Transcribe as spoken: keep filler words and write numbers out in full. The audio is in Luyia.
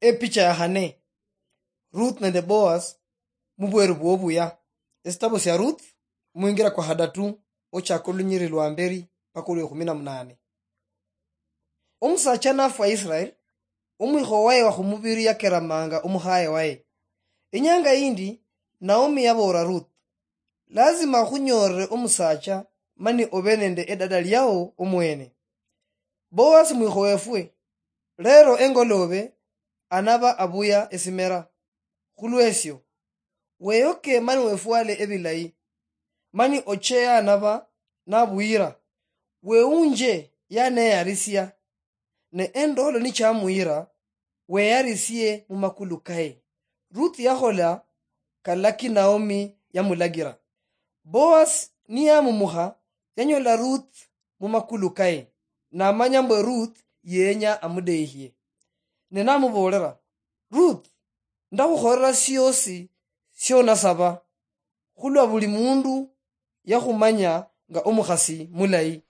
Epicha ya khane. Ruth nende Boaz mubweru bwobuya. Esitabo sia Ruth, mwingira kwa hadatu, ochaka olunyiri lwa mberi paka olwe kumi na munane. Omusacha nafwa Israel, omwikho waye wa khumubiri yakeramanga omukhaye waye. Inyanga yindi, Naomi yaboolera Ruth, "Lazima khunyoolere omusacha mani obe nende edada liao omwene." Boaz mwikho wefwe, lero engoloobe anaba abuya esimera. Khulwesio, weyoke mani wefwale ebilayi, mani oche anaba nabuyira, weunje yaneyarisia, ne endolo nichamuyira, weyarisie mumakulu kaye. Ruth yakhola kalaki Naomi yamulagira. Boaz niyamumukha, yanyola Ruth mumakulu kaye, namanya mbwe Ruth yenya amudeyihie. Ne namuboolera, "Ruth, ndakhukholera siosi sionasaba, khulwa buli mundu yakhumanya nga omukhasi mulayi."